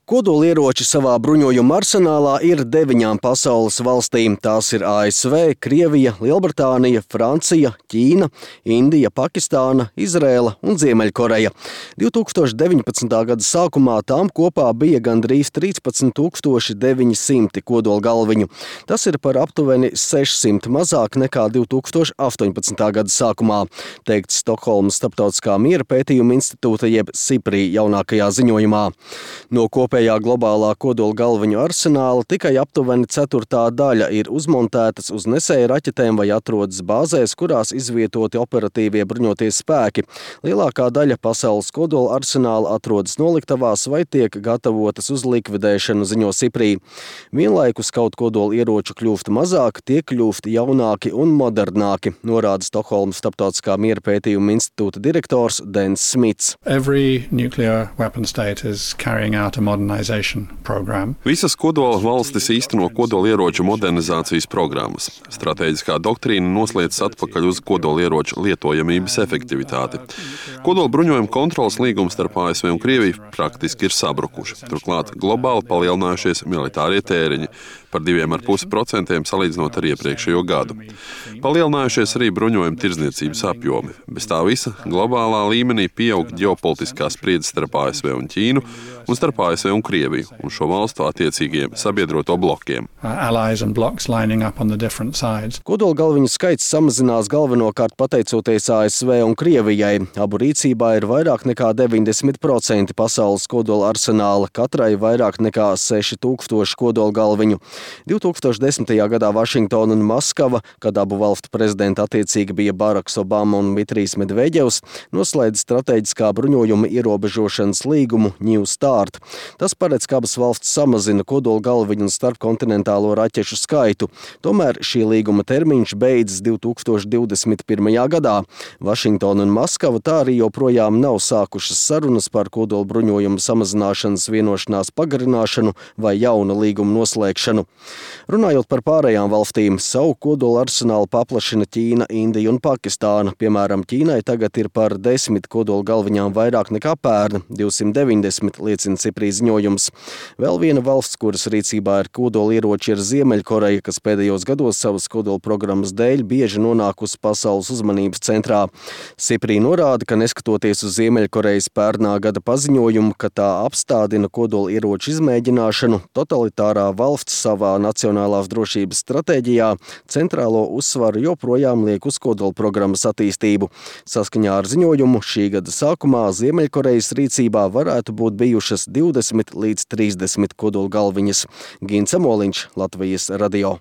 Kodolieroči savā bruņojuma arsenālā ir 9 pasaules valstīm. Tās ir ASV, Krievija, Lielbritānija, Francija, Ķīna, Indija, Pakistāna, Izrēla un Ziemeļkoreja. 2019. gada sākumā tām kopā bija gandrīz 13,900 kodolgalviņu. Tas ir par aptuveni 600 mazāk nekā 2018. gada sākumā, teikts Stokholmas Starptautiskā miera pētījuma institūta jeb SIPRI jaunākajā ziņojumā. No kopējā globālā kodolgalviņu arsenāla tikai aptuveni 1/4 daļa ir uzmontētas uz nesēju raķetēm vai atrodas bāzēs, kurās izvietoti operatīvie bruņotie spēki. Lielākā daļa pasaules kodola arsenāla atrodas noliktavās vai tiek gatavotas uz likvidēšanu, ziņo SIPRI. Vienlaikus kaut kodola ieroču kļūst mazāk, tie kļūst jaunāki un modernāki, norāda Stokholmas Starptautiskā miera pētījuma institūta direktors Dens Smits. Every nuclear weapon state is carrying out a modernization program. Visas kodola valstis īsteno kodolieroču modernizācijas programmas. Stratēģiskā doktrīna nosliecas atpakaļ uz kodolieroču lietojamības efektivitāti. Kodola bruņojuma kontrolas līgums starp ASV un Krieviju praktiski ir sabrukuši. Turklāt globāli palielinājušies militārie tēriņi par 2,5% salīdzinot ar iepriekšējo gadu. Palielinājušies arī bruņojuma tirdzniecības apjomi. Bez tā visa globālā līmenī pieaug ģeopolitiskā spriedze starp ASV un Ķīnu un starp ASV un Krieviju un šo valstu attiecīgiem sabiedroto blokiem. Kodolgalviņu skaits samazinās galvenokārt pateicoties ASV un Krievijai. Abu rīcībā ir vairāk nekā 90% pasaules kodola arsenāla, katrai vairāk nekā 6000 kodolgalviņu. 2010. gadā Vašingtona un Maskava, kad abu valstu prezidenti attiecīgi bija Baraks Obama un Dmitrijs Medveģevs, noslēdz stratēģiskā bruņojuma ierobežošanas līgumu New Start. Tas paredz, ka abas valstis samazina kodolgalviņu un starpkontinentālo raķešu skaitu. Tomēr šī līguma termiņš beidzas 2021. gadā. Vašingtona un Maskava tā arī joprojām nav sākušas sarunas par kodolbruņojumu samazināšanas vienošanās pagarināšanu vai jauna līguma noslēgšanu. Runājot par pārējām valstīm, savu kodola arsenālu paplašina Ķīna, Indija un Pakistāna. Piemēram, Ķīnai tagad ir par 10 kodola galviņām vairāk nekā pērn, 290, liecina SIPRI ziņojums. Vēl viena valsts, kuras rīcībā ir kodola ieroči, ir Ziemeļkoreja, kas pēdējos gados savas kodola programmas dēļ bieži nonākusi pasaules uzmanības centrā. SIPRI norāda, ka neskatoties uz Ziemeļkorejas pērnā gada paziņojumu, ka tā apstādina kodola ieroču izmēģināšanu, totalitārā valsts savā nacionālās drošības stratēģijā centrālo uzsvaru joprojām liek uz kodola programmas attīstību. Saskaņā ar ziņojumu šī gada sākumā Ziemeļkorejas rīcībā varētu būt bijušas 20 līdz 30 kodola galviņas. Gins Amoliņš, Latvijas radio.